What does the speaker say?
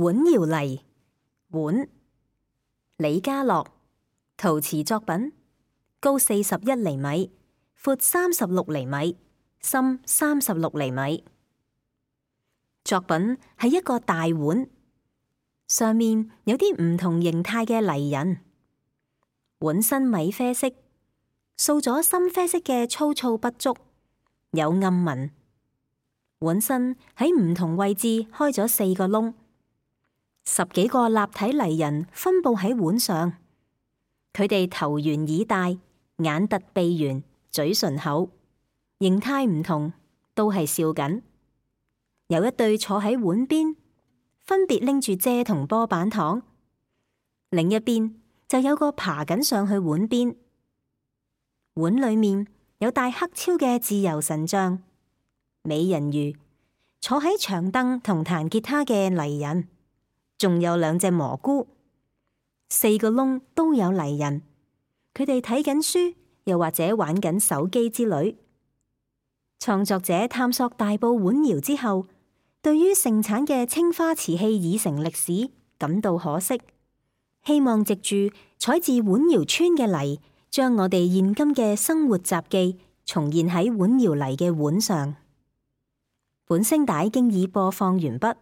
碗窯泥，碗，李家樂，陶瓷作品，高41厘米，闊36厘米，深36厘米。作品係一個大碗，上面有啲唔同形態嘅泥人。碗身米啡色，掃咗深啡色嘅粗糙筆觸，有暗紋。碗身喺唔同位置開咗4個窿，10幾個立體泥人分佈喺碗上。佢哋頭圓耳大，眼凸鼻圓，嘴唇厚，形態唔同，都係笑緊。有一對坐喺碗邊，分別拎住蔗同波板糖；另一邊就有個爬緊上去碗邊。碗裏面有戴黑超嘅自由神像、美人魚，坐喺長凳同彈吉他嘅泥人，仲有2隻蘑菇。4個窿都有泥人，佢哋睇緊書，又或者玩緊手機之類。創作者探索大埔碗窯之後，對於盛產嘅青花瓷器已成歷史感到可惜，希望藉住採自碗窯村嘅泥，將我哋現今嘅生活雜記重現喺碗窯泥嘅碗上。本聲帶經已播放完畢。